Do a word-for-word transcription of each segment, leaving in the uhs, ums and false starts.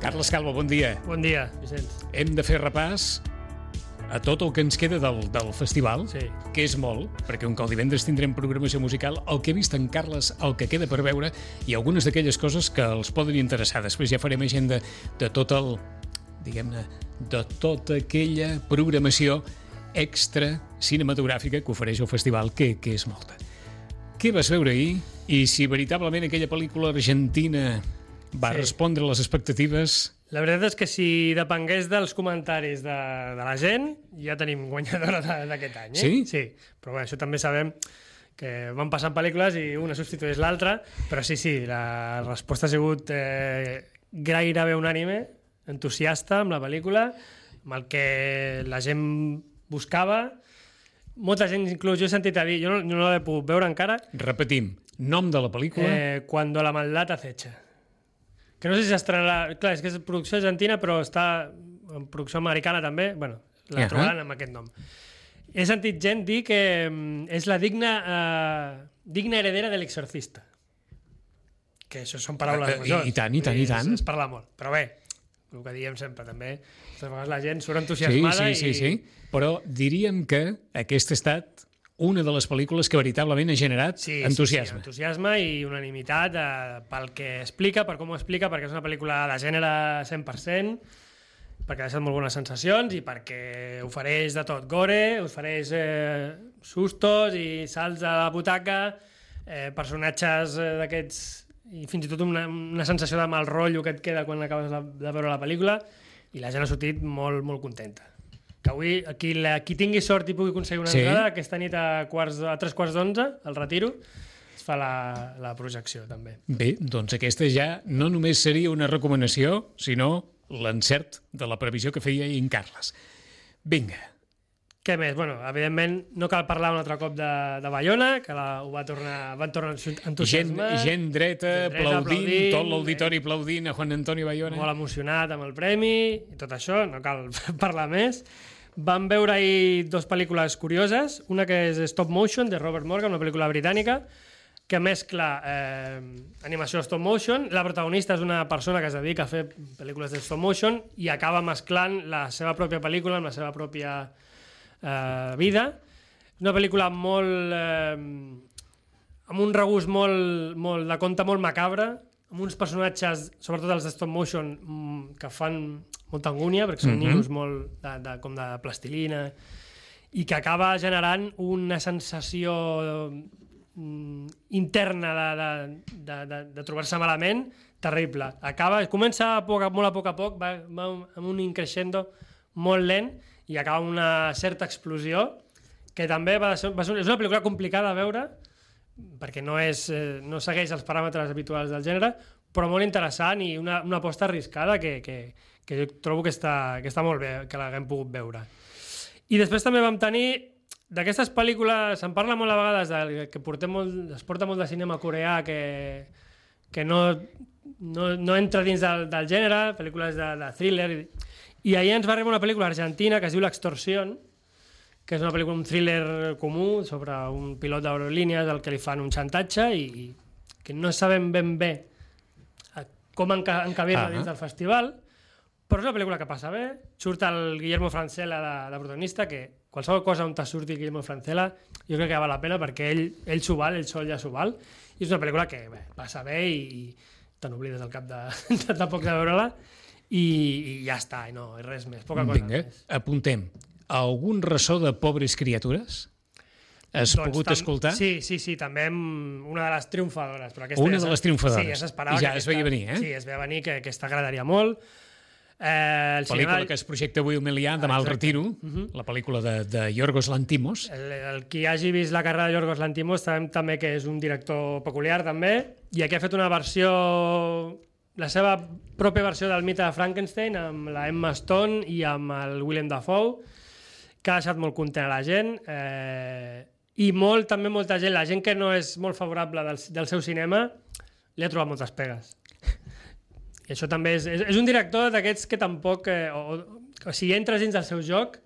Carles Calvo, bon dia. Bon dia, Vicenç. Hem de fer repàs a tot el que ens queda del, del festival, sí. que és molt, perquè un cop divendres tindrem programació musical, el que ha vist en Carles, el que queda per veure, i algunes d'aquelles coses que els poden interessar. Després ja farem agenda de tot el, diguem-ne, de tota aquella programació extra cinematogràfica que ofereix el festival, que, que és molta. Què vas veure ahir? I si veritablement aquella pel·lícula argentina va sí. respondre a les expectatives... La veritat és que si depengués dels comentaris de, de la gent, ja tenim guanyadora d'aquest any. Eh? Sí? Sí, però bé, això també sabem que van passant pel·lícules i una substitueix l'altra, però sí, sí, la resposta ha sigut eh, gairebé unànime, entusiasta amb la pel·lícula, amb el que la gent buscava. Molta gent, inclús jo he sentit a dir, jo no, no l'he pogut veure encara. Repetim, nom de la pel·lícula... Eh, Cuando la maldad acecha. Que no sé si s'estrenarà... Clar, és que és producció argentina, però està en producció americana també. Bueno, la uh-huh. trobaran amb aquest nom. He sentit gent dir que és la digna, uh, digna heredera de l'Exorcista. Que això són paraules uh, majors. I, I tant, i tant, i tant. Es, es parla molt. Però bé, el que diem sempre també, a vegades la gent surt entusiasmada sí, sí, i... sí, sí. Però diríem que aquesta ha estat una de les pel·lícules que veritablement ha generat sí, entusiasme. Sí, sí, entusiasme i unanimitat eh, pel que explica, per com ho explica, perquè és una pel·lícula de gènere cent per cent, perquè ha deixat molt bones sensacions i perquè ofereix de tot. Gore, ofereix eh, sustos i salts a la butaca, eh, personatges eh, d'aquests... i fins i tot una, una sensació de mal rotllo que et queda quan acabes de, de veure la pel·lícula, i la gent ha sortit molt, molt contenta. Que avui, qui, la, qui tingui sort i pugui aconseguir una sí. entrada, aquesta nit a, quarts, a tres quarts d'onze, al Retiro, es fa la, la projecció, també. Bé, doncs aquesta ja no només seria una recomanació, sinó l'encert de la previsió que feia en Carles. Vinga. Què més? Bueno, evidentment, no cal parlar un altre cop de, de Bayona, que la, ho va tornar, van tornar a entusiasmar. Gent, gent dreta, gent dreta aplaudint, aplaudint, tot l'auditori eh, aplaudint a Juan Antonio Bayona. Molt emocionat amb el premi i tot això, no cal parlar més. Vam veure ahir dues pel·lícules curioses, una que és Stop Motion, de Robert Morgan, una pel·lícula britànica, que mescla eh, animació stop motion. La protagonista és una persona que es dedica a fer pel·lícules de stop motion i acaba mesclant la seva pròpia pel·lícula amb la seva pròpia eh, vida. És una pel·lícula molt... Eh, amb un regust molt, molt de conte molt macabre, amb uns personatges, sobretot els de stop motion, que fan molta angúnia, perquè són mm-hmm. ninos molt de, de, com de plastilina, i que acaba generant una sensació mm, interna de, de, de, de, de trobar-se malament terrible. Acaba, comença a poc, molt a poc a poc, va, va amb un increixendo molt lent i acaba amb una certa explosió, que també va ser, va ser, és una pel·lícula complicada a veure, perquè no, és, eh, no segueix els paràmetres habituals del gènere, però molt interessant i una, una aposta arriscada que, que, que jo trobo que està, que està molt bé que l'haguem pogut veure. I després també vam tenir d'aquestes pel·lícules, se'n parla molt a vegades de, que portem molt, es porta molt de cinema coreà que, que no, no, no entra dins del, del gènere, pel·lícules de, de thriller, i, i ahir ens va arribar una pel·lícula argentina que es diu L'Extorsión, que és una pel·lícula, un thriller comú sobre un pilot d'aerolínies al que li fan un xantatge i, i que no sabem ben bé com enca encabir-la ah, dins del festival, però és una pel·lícula que passa bé. Surt el Guillermo Francella de, de protagonista, que qualsevol cosa on te surti Guillermo Francella jo crec que val la pena perquè ell, ell s'ho val, ell sol ja s'ho val, i és una pel·lícula que bé, passa bé i, i te n'oblides al cap de, de, de poc de veure-la i, i ja està, i no, i res més, poca cosa Vinga, més. Apuntem. Algun ressò de Pobres criatures? Has doncs pogut escoltar? Sí, sí, sí, també una de les triomfadores. Però aquesta una ja de les triomfadores. Sí, ja s'esperava. I ja que es veia venir, eh? Sí, es veia venir que aquesta agradaria molt. Eh, el pel·lícula cinema... que es projecta avui al Melià, demà al Retiro, uh-huh. la pel·lícula de, de Yorgos Lanthimos. El, el qui hagi vist la carrera de Yorgos Lanthimos sabem també que és un director peculiar, també, i aquí ha fet una versió, la seva pròpia versió del mite de Frankenstein, amb la Emma Stone i amb el Willem Dafoe, que ha deixat molt content a la gent, eh, i molt, també molta gent, la gent que no és molt favorable del, del seu cinema, li ha trobat moltes pegues. I això també és, és, és un director d'aquests que tampoc, eh, o, o si entres dins del seu joc,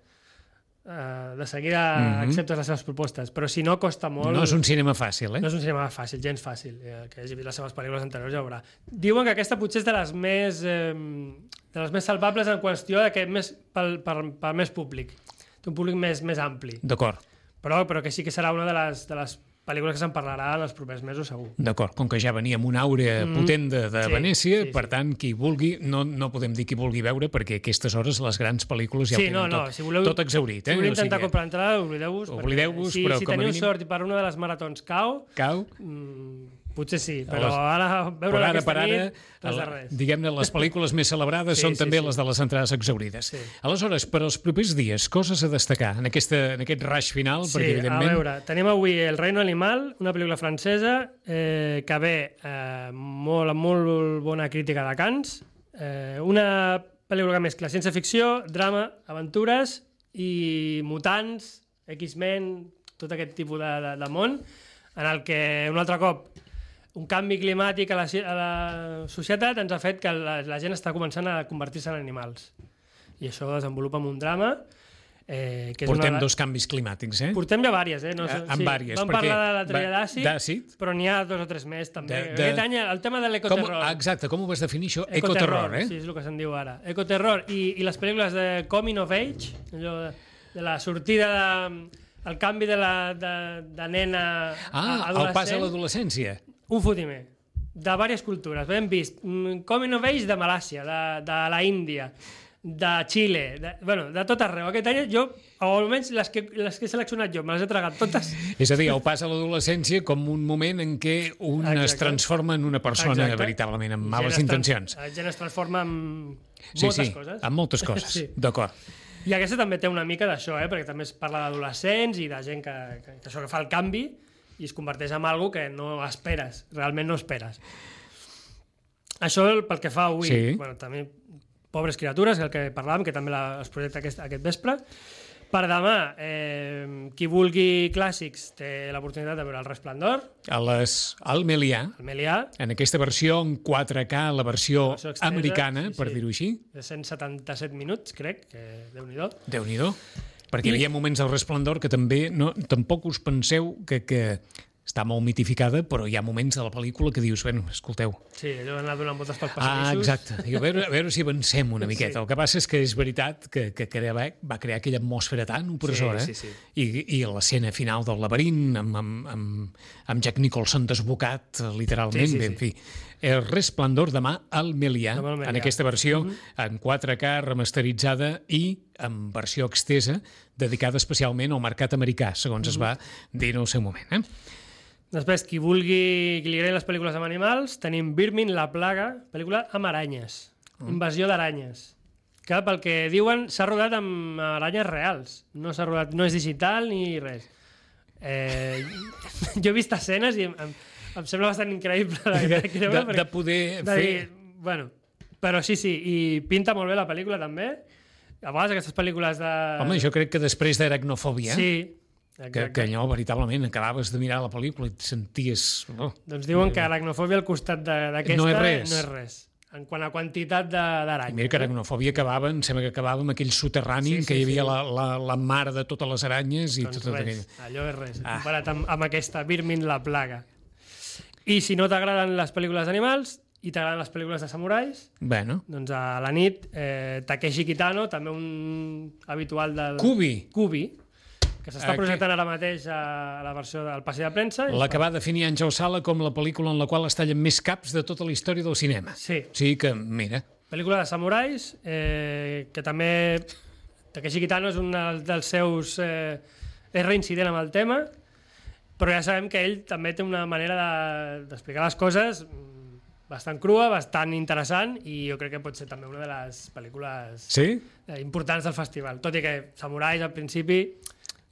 uh, de seguida mm-hmm. acceptes les seves propostes, però si no, costa molt... No és un cinema fàcil, eh? No és un cinema fàcil, gens fàcil, eh, que hagi vist les seves pel·lícules anteriors ja ho veurà. Diuen que aquesta potser és de les més, eh, de les més salvables en qüestió de que més, pel, per, per més públic, té un públic més, més ampli. D'acord. Però, però que sí que serà una de les, de les pel·lícules que se'n parlarà en els propers mesos, segur. D'acord, com que ja venia amb una àurea mm. potent de, de sí, Venècia, sí, per sí. tant, qui vulgui, no, no podem dir qui vulgui veure, perquè a aquestes hores les grans pel·lícules ja sí, ho tenen no, no, tot, si voleu, tot exaurit. Eh? Si voleu intentar o sigui, comprar entrada, oblideu-vos. Oblideu-vos, si, però si com a teniu mínim... sort i per una de les maratons cau, cau? Mm, potser sí, però les... ara veure ara, aquesta ara, nit, res de res. Diguem-ne, les pel·lícules més celebrades sí, són sí, també sí. les de les entrades exaurides. Sí. Aleshores, per als propers dies, coses a destacar en, aquesta, en aquest rush final? Sí, perquè, evidentment... a veure, tenim avui El reino animal, una pel·lícula francesa eh, que ve eh, molt, amb molt bona crítica de Cannes, eh, una pel·lícula que mescla ciència-ficció, drama, aventures i mutants, X-Men, tot aquest tipus de, de, de món, en el que un altre cop un canvi climàtic a la, a la societat ens ha fet que la, la gent està començant a convertir-se en animals. I això ho desenvolupa en un drama. Eh, que és Portem una... dos canvis climàtics, eh? Portem ja vàries, eh? No, eh en sí, vàries. vam parlar de la tria d'àcid, però n'hi ha dos o tres més, també. De, de... Aquest any el tema de l'ecoterror. Com, exacte, com ho vas definir això? Ecoterror, eh? Sí, és el que se'n diu ara. Ecoterror i, i les pel·lícules de Coming of Age, allò de, de la sortida de... el canvi de, la, de, de nena ah, a adolescent. El pas a l'adolescència. Un fotimer. De diverses cultures. Hem vist Coming of Age de Malàcia, de, de la Índia, de Xile, de, bueno, de tot arreu. Aquest any jo, o almenys les que, les que he seleccionat jo, me les he tragat totes. És a dir, el pas a l'adolescència com un moment en què un Exacte. es transforma en una persona Exacte. veritablement amb males intencions. La gent es transforma en sí, moltes sí, coses. en moltes coses, sí. D'acord. I aquesta també té una mica d'això, eh? Perquè també es parla d'adolescents i de gent que, que, que això que fa el canvi i es converteix en algo que no esperes, realment no esperes. Això pel que fa avui, sí. bueno, també Pobres criatures, el que parlàvem, que també la, es projecta aquest, aquest vespre. Per demà, eh, qui vulgui clàssics té l'oportunitat de veure El Resplendor. A les, al Melià, el Melià. En aquesta versió en quatre K, la versió, la versió extesa, americana, sí, sí. per dir-ho així. De cent setanta-set minuts, crec, que Déu-n'hi-do. Déu-n'hi-do. Perquè I... hi havia moments del Resplendor que també, no, tampoc us penseu que... que està molt mitificada, però hi ha moments de la pel·lícula que dius, bueno, escolteu... Sí, allò d'anar donant voltes pels Ah, passadissos. exacte. Diu, a, veure, a veure si avancem una miqueta. Sí. El que passa és que és veritat que, que crea, va crear aquella atmosfera tan opressora, sí, sí, sí. i, i l'escena final del laberint, amb, amb, amb, amb Jack Nicholson desbocat, literalment, sí, sí, bé, en sí. fi. El Resplendor demà al Melià, en aquesta versió, mm-hmm. en quatre K, remasteritzada i en versió extesa, dedicada especialment al mercat americà, segons mm-hmm. es va dir en el seu moment, eh? Després, qui vulgui, qui li agradin les pel·lícules amb animals, tenim Birmin, la plaga, pel·lícula amb aranyes, mm. invasió d'aranyes, que pel que diuen s'ha rodat amb aranyes reals, no s'ha rodat, no és digital ni res. Eh, jo he vist escenes i em, em sembla bastant increïble de, de, de, de poder de fer... Dir, bueno, però sí, sí, i pinta molt bé la pel·lícula també. A vegades aquestes pel·lícules de... Home, jo crec que després d'Aracnofòbia... Sí, Que, que allò veritablement acabaves de mirar la pel·lícula i et senties... Oh, doncs diuen que aracnofòbia al costat d'aquesta no és res. No és res. En quant a quantitat d'aranyes. Mira que aracnofòbia acabava, em sembla que acabava amb aquell soterrani sí, sí, que hi havia sí. la, la, la mare de totes les aranyes i doncs tot res, aquell... allò és res, ah. comparat amb, amb aquesta Birmin, la plaga. I si no t'agraden les pel·lícules d'animals i t'agraden les pel·lícules de samurais, bueno. doncs a la nit eh, Takeshi Kitano, també un habitual del... Kubi. Kubi. Que s'està projectant ara mateix a la versió del passi de premsa. La que va definir Àngel Sala com la pel·lícula en la qual es tallen més caps de tota la història del cinema. Sí. Sí que, mira... Pel·lícula de samurais, eh, que també... Takeshi Kitano és un dels seus... Eh, és reincident amb el tema, però ja sabem que ell també té una manera d'explicar de, les coses bastant crua, bastant interessant, i jo crec que pot ser també una de les pel·lícules sí? eh, importants del festival. Tot i que samurais al principi...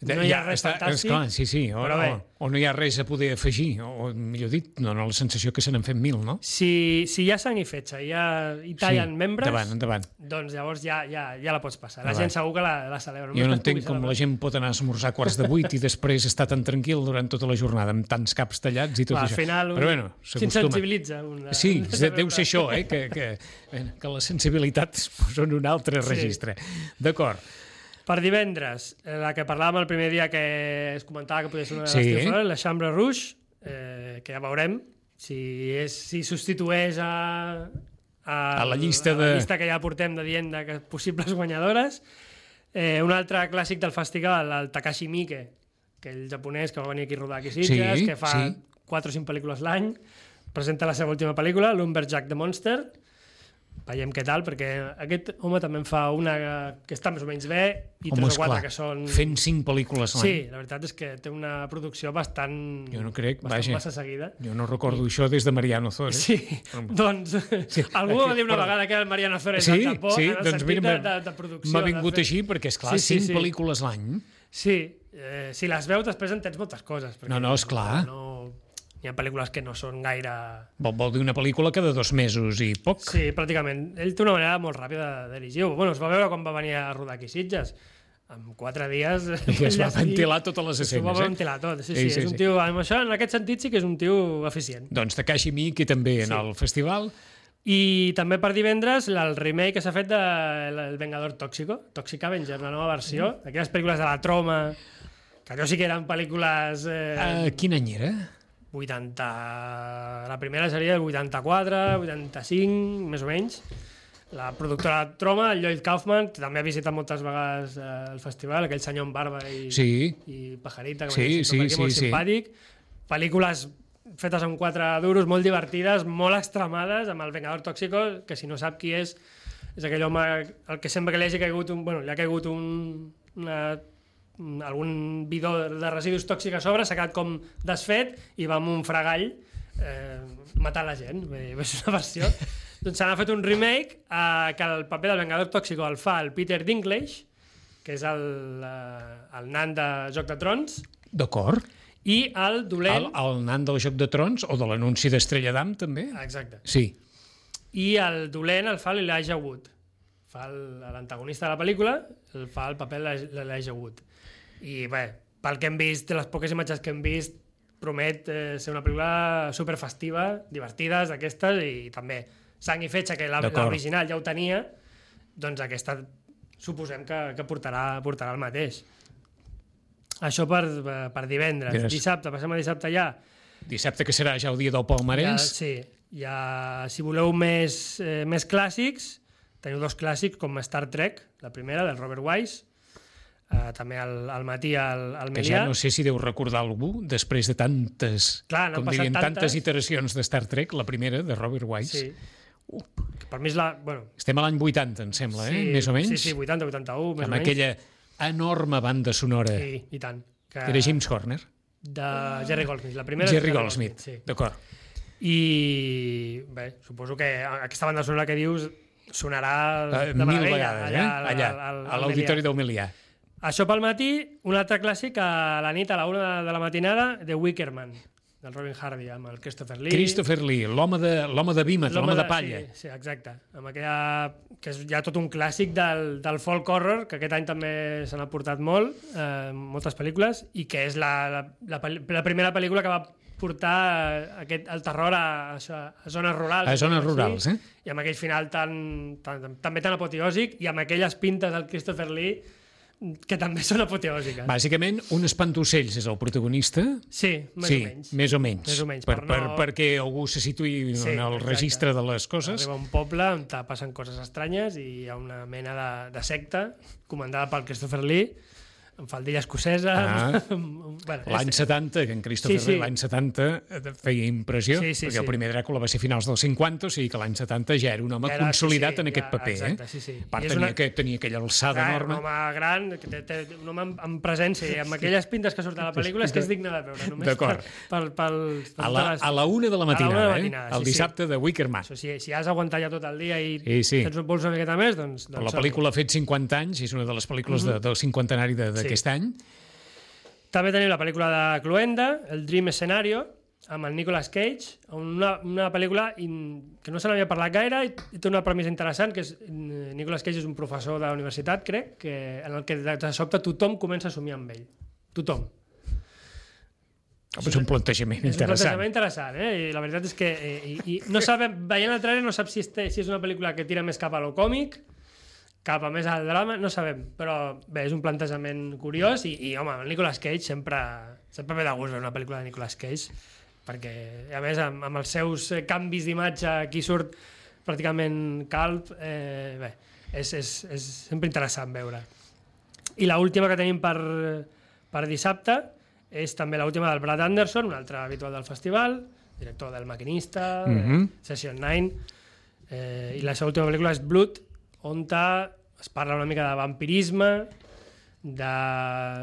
No hi ha ja, res està, fantàstic, esclar, sí, sí, o, o, o no hi ha res a poder afegir, o, o millor dit, no, no la sensació que se n'han fet mil, no? Si, si hi ha sang i fetge, hi, ha, hi tallen sí, membres, endavant, endavant. Doncs llavors ja, ja, ja la pots passar. La endavant. Gent segur que la, la celebra. Jo no entenc com la gent pot anar a esmorzar a quarts de vuit i després estar tan tranquil durant tota la jornada, amb tants caps tallats i tot Va, això. Al final un... Però bueno, s'insensibilitza. Una... Sí, deu ser això, eh? que, que, que les sensibilitats són un altre registre. Sí. D'acord. Per divendres, la que parlàvem el primer dia que es comentava que podia ser una de les Sí. triomfadores, la Chambre Rouge, eh, que ja veurem si, és, si substitueix a, a, A la llista a la de- llista que ja portem de dient de que possibles guanyadores. Eh, un altre clàssic del festival, el Takashi Miike, que el japonès que va venir aquí a rodar aquí a Sitges, Sí, que fa sí. quatre o cinc pel·lícules l'any, presenta la seva última pel·lícula, Lumberjack the Monster. Veiem què tal, perquè aquest home també en fa una que està més o menys bé i Home, tres o quatre esclar, que són... fent cinc pel·lícules l'any. Sí, la veritat és que té una producció bastant... Jo no crec, bastant vaja. massa seguida. Jo no recordo això des de Mariano Zores. Sí, doncs Sí. algú va dir una Perdó. vegada que era el Mariano Zores Sí, al Japó, sí, en el doncs sentit mira, de, de, de producció. m'ha de vingut fer- així perquè, esclar, Sí, sí, cinc sí. pel·lícules l'any. Sí, eh, si les veus després entens moltes coses. perquè No, no, esclar. No, hi ha pel·lícules que no són gaire... Vol, vol dir una pel·lícula cada dos mesos i poc. Sí, pràcticament. Ell té una manera molt ràpida de dirigir-ho. Bueno, es va veure quan va venir a rodar aquí a Sitges. En quatre dies... I es va ventilar totes les S'ho va escenes, eh? ventilar tot. Sí, Sí, sí, sí, és un sí. tio... Amb això, en aquest sentit, sí que és un tio eficient. Doncs Takashi Miike també en Sí. el festival. I també per divendres el remake que s'ha fet de El Vengador Tóxico, Toxic Avenger, una nova versió, Mm. d'aquelles pel·lícules de la Troma, que allò sí que eren pel·lícules... Eh, Uh, quin any era? vuitanta... La primera seria el vuitanta-quatre, vuitanta-cinc, més o menys. La productora Troma, el Lloyd Kaufman, que també ha visitat moltes vegades eh, el festival, aquell senyor amb barba i, Sí. i pajarita, que Sí, sí, sí, sí, sí, molt sí. simpàtic. Pel·lícules fetes amb quatre duros, molt divertides, molt extremades, amb el Vengador Tóxico, que si no sap qui és, és aquell home el que sempre que li hagi caigut un, bueno, li ha caigut un, una, un- algun bidó de residus tòxics a sobre, s'ha quedat com desfet i va amb un fregall eh, matar la gent. Vull dir, és una versió. Doncs se n'ha fet un remake eh, que el paper del Vengador Tóxico el fa el Peter Dinklage, que és el, eh, el nan de Joc de Trons, D'acord. i el dolent... El, el nan del Joc de Trons o de l'anunci d'Estrella d'Am, també? Exacte. Sí. I el dolent el fa l'Elijah Wood. Fa el- l'antagonista de la pel·lícula, el fa el paper de l'Elijah Wood. I bé, pel que hem vist, de les poques imatges que hem vist, promet eh, ser una pel·lícula superfestiva, divertides, d'aquestes, i també sang i fetge, que la- D'acord. l'original ja ho tenia, doncs aquesta suposem que, que portarà, portarà el mateix. Això per, per divendres. Yes. Dissabte, passem a dissabte ja. Dissabte, que serà ja el dia del Ja, palmarès. sí, ja, si voleu més, eh, més clàssics, teniu dos clàssics com Star Trek, la primera, del Robert Wise, eh, també al, al matí al, al Que Melià. ja no sé si deu recordar algú, després de tantes, Clar, n'han com passat dirien, tantes tantes. iteracions de Star Trek, la primera, de Robert Wise. Sí. Que per mi és la... Bueno, Estem a l'any vuitanta, em sembla, eh? Més o menys. Sí, sí, vuitanta, vuitanta-u, més Amb o menys. aquella enorme banda sonora. Sí, i tant. Que... Era James Horner. De Jerry Goldsmith. La primera és Jerry Goldsmith. Sí. D'acord. I bé, suposo que aquesta banda sonora que dius sonarà Uh, de mil meravella vegades, eh? Allà, al- al- a al l'auditori Melià. del Melià. Això pel matí, un altre clàssic a la nit, a la una de la matinada, de Wickerman, del Robin Hardy, amb el Christopher Lee. Christopher Lee, l'home de, l'home de vímet, l'home de palla. Sí, sí, exacte. Amb aquella, que és ja tot un clàssic del, del folk horror, que aquest any també se n'ha portat molt, eh, moltes pel·lícules, i que és la, la, la, pel- la primera pel·lícula que va portar eh, aquest, el terror a, a, a zones rurals. A zones diguem-ho rurals, així, eh? I amb aquell final tan, tan, també tan apoteòsic, i amb aquelles pintes del Christopher Lee, que també són apoteòsiques. Bàsicament, un espantocells és el protagonista. Sí, més sí, o menys. més o menys. Més o menys, per, per per, no- perquè algú se situï Sí, en el exacte. registre de les coses. Arriba a un poble on te passen coses estranyes i hi ha una mena de, de secta comandada pel Christopher Lee, amb faldilla escocesa... Ah. amb- bueno, L'any és- setanta, que en Christopher Sí, sí. Lee l'any setanta eh, feia impressió, Sí, sí, perquè sí. el primer Dràcula va ser a finals dels cinquanta, o sigui que l'any setanta ja era un home Ja era- consolidat sí, sí, en aquest ja, paper. exacte, eh? sí, sí. A part, I és tenia, una- que, tenia aquella alçada Clar, enorme. un home gran, que té, té, un home amb, amb presència i amb aquelles pintes que surten a la pel·lícula és que és digne de veure, només per, D'acord. per, per, per, A la, a la una de la matinada, una de la eh? matinada, el sí, sí. dissabte de Wickerman. Això, si, si has d'aguantar ja tot el dia i Sí, sí. tens un pols una miqueta més, doncs... Però doncs la pel·lícula ha fet cinquanta anys, és una de les pel·lícules de, del cinquantenari de- d'aquest Sí. any. També tenim la pel·lícula de Cluenda, el Dream Scenario, amb el Nicolas Cage, una, una pel·lícula in, que no se n'havia parlat gaire i, i té una premissa interessant, que és mm, Nicolas Cage és un professor de la universitat, crec, que, en el que de, de sobte tothom comença a somiar amb ell. Tothom. Oh, és un plantejament És un interessant. plantejament interessant, eh? I la veritat és que eh, i, i no sabem, veient el trailer no saps si, este, si és una pel·lícula que tira més cap a lo còmic, cap a més al drama, no sabem, però bé, és un plantejament curiós i, i home, el Nicolas Cage sempre, sempre ve de gust veure una pel·lícula de Nicolas Cage, perquè a més amb, amb els seus canvis d'imatge aquí surt pràcticament calb, eh, bé, és, és, és sempre interessant veure. I l'última que tenim per, per dissabte és també l'última del Brad Anderson, un altre habitual del festival, director del Maquinista, mm-hmm. Session nine, eh, i la seva última pel·lícula és Blood, on es parla una mica de vampirisme, de,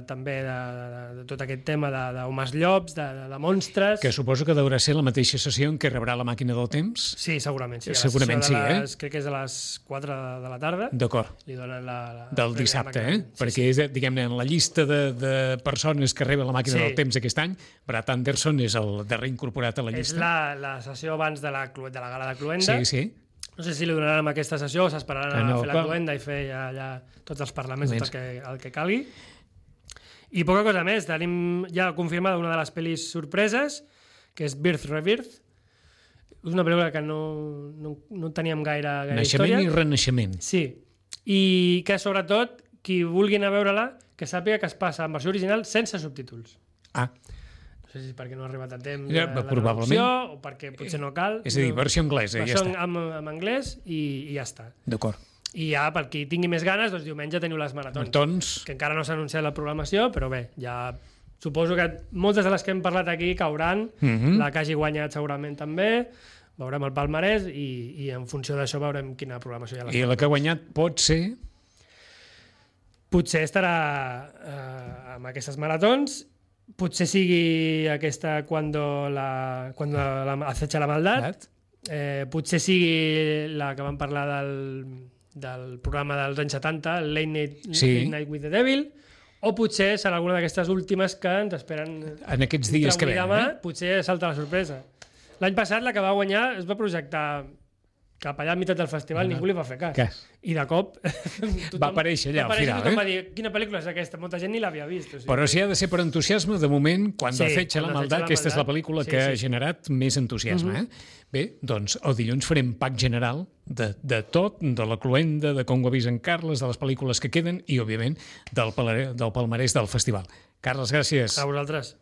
també de, de, de tot aquest tema d'homes llops, de, de, de monstres... Que suposo que deurà ser la mateixa sessió en què rebrà la màquina del temps? Sí, segurament. Sí. Segurament sí, les, eh? Crec que és de les quatre de la tarda. D'acord. Li donen la... la del dissabte, eh? Sí, perquè, sí. És, diguem-ne, en la llista de, de persones que reben la màquina sí. del temps aquest any, Brad Anderson és el darrer incorporat a la llista. És la, la sessió abans de la, de la gala de Cluenda. Sí, sí. No sé si li donaran amb aquesta sessió o s'esperaran a no, fer la cluenda i fer ja, ja tots els parlaments, tot el que, el que calgui. I poca cosa més. Tenim ja confirmada una de les pel·lis sorpreses, que és Birth Rebirth. És una pel·lícula que no, no, no teníem gaire, gaire Naixement història. i renaixement. Sí. I que, sobretot, qui vulgui anar a veure-la, que sàpiga que es passa en versió original sense subtítols. Ah. No sé si perquè no ha arribat a temps ja, la traducció o perquè potser no cal. És a dir, versió anglesa, ja està. En, en anglès i, i ja està. D'acord. I ja, per qui tingui més ganes, doncs diumenge teniu les maratons. Maratons. Que encara no s'ha anunciat la programació, però bé, ja suposo que moltes de les que hem parlat aquí cauran, mm-hmm. la que hagi guanyat segurament també, veurem el palmarès i, i en funció d'això veurem quina programació hi ha. I la que ha guanyat pot ser... Potser estarà eh, amb aquestes maratons. Potser sigui aquesta Cuando la, cuando la acecha la maldad. Eh, potser sigui la que vam parlar del, del programa dels anys setanta, el Late Night, sí. Late Night with the Devil, o potser serà alguna d'aquestes últimes que ens esperen en aquests dies que venen. Demà, eh? potser salta la sorpresa. L'any passat la que va guanyar es va projectar cap allà a meitat del festival, no. Ningú li va fer cas. Què? I de cop... tothom, va aparèixer allà al final. Tothom eh? va dir, quina pel·lícula és aquesta? Molta gent ni l'havia vist. O sigui. Però si ha de ser per entusiasme, de moment, quan sí, Acecha la maldad, aquesta és la pel·lícula sí, que sí. ha generat més entusiasme. Mm-hmm. eh? Bé, doncs el dilluns farem pack general de, de tot, de la cluenda, de com ho ha vist en Carles, de les pel·lícules que queden i, òbviament, del, del palmarès del festival. Carles, gràcies. A vosaltres.